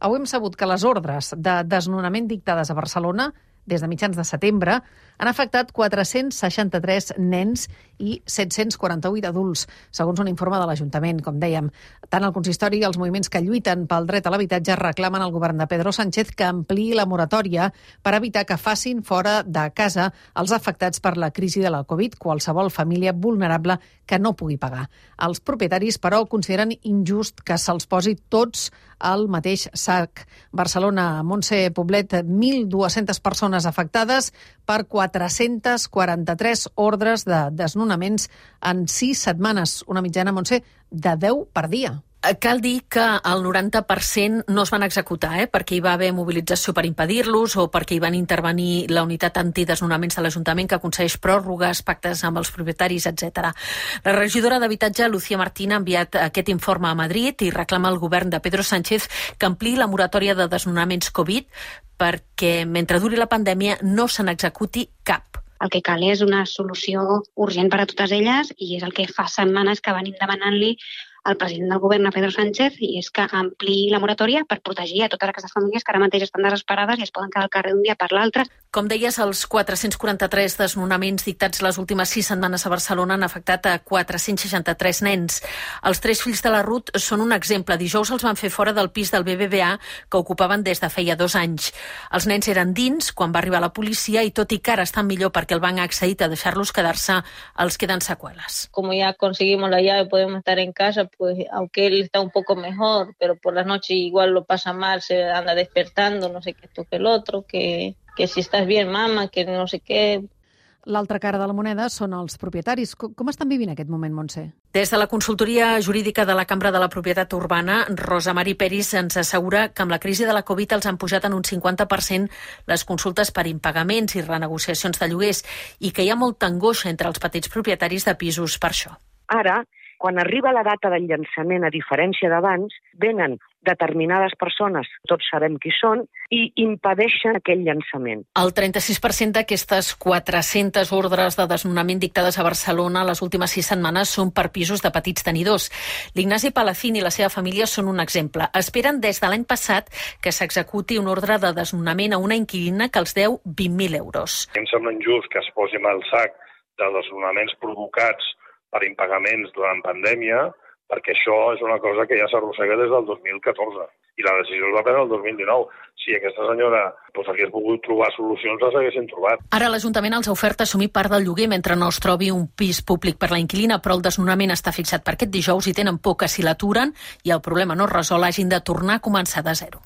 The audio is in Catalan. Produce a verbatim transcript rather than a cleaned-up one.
Avui hem sabut que les ordres de desnonament dictades a Barcelona des de mitjans de setembre han afectat quatre-cents seixanta-tres nens i set-cents quaranta-vuit adults, segons un informe de l'Ajuntament, com dèiem. Tant el consistori i els moviments que lluiten pel dret a l'habitatge reclamen al govern de Pedro Sánchez que ampliï la moratòria per evitar que facin fora de casa els afectats per la crisi de la Covid, qualsevol família vulnerable que no pugui pagar. Els propietaris, però, consideren injust que se'ls posi tots al mateix sac. Barcelona, Montse Poblet, mil dues-centes persones afectades per quatre-cents quaranta-tres ordres de desnonaments en sis setmanes, una mitjana, Montse, de deu per dia. Cal dir que el noranta per cent no es van executar, eh? perquè hi va haver mobilització per impedir-los o perquè hi van intervenir la unitat antidesnonaments de l'Ajuntament que aconsegueix pròrrogues, pactes amb els propietaris, etcètera. La regidora d'Habitatge, Lucía Martín, ha enviat aquest informe a Madrid i reclama al govern de Pedro Sánchez que ampliï la moratòria de desnonaments Covid perquè mentre duri la pandèmia no se n'executi cap. El que cal és una solució urgent per a totes elles i és el que fa setmanes que venim demanant-li al president del govern, a Pedro Sánchez, i és que ampliï la moratòria per protegir a totes aquestes famílies que ara mateix estan desesperades i es poden quedar al carrer d'un dia per l'altre. Com deies, els quatre-cents quaranta-tres desnonaments dictats les últimes sis setmanes a Barcelona han afectat a quatre-cents seixanta-tres nens. Els tres fills de la Ruth són un exemple. Dijous els van fer fora del pis del B B V A que ocupaven des de feia dos anys. Els nens eren dins quan va arribar la policia i tot i que ara estan millor perquè el banc ha accedit a deixar-los quedar-se, els queden seqüeles. Como ya conseguimos la llave, podemos estar en casa, pues aunque él está un poco mejor, pero por la noche igual lo pasa mal, se anda despertando, no sé qué esto que el otro, que, que si estás bien, mamá, que no sé què. L'altra cara de la moneda són els propietaris. Com estan vivint aquest moment, Montse? Des de la consultoria jurídica de la Cambra de la Propietat Urbana, Rosa Mari Peris ens assegura que amb la crisi de la Covid els han pujat en un cinquanta per cent les consultes per impagaments i renegociacions de lloguers i que hi ha molta angoixa entre els petits propietaris de pisos per això. Ara, quan arriba la data del llançament, a diferència d'abans, venen determinades persones, tots sabem qui són, i impedeixen aquell llançament. El trenta-sis per cent d'aquestes quatre-centes ordres de desnonament dictades a Barcelona les últimes sis setmanes són per pisos de petits tenidors. L'Ignasi Palacín i la seva família són un exemple. Esperen des de l'any passat que s'executi una ordre de desnonament a una inquilina que els deu vint mil euros. Em sembla injust que es posi al sac de desnonaments provocats per impagaments durant pandèmia, perquè això és una cosa que ja s'arrossega des del dos mil catorze. I la decisió es va prendre el dos mil dinou. Si aquesta senyora doncs, hagués pogut trobar solucions, les haguessin trobat. Ara l'Ajuntament els ha ofert assumir part del lloguer mentre no es trobi un pis públic per la inquilina, però el desnonament està fixat per aquest dijous i tenen por que si l'aturen i el problema no es resol hagin de tornar a començar de zero.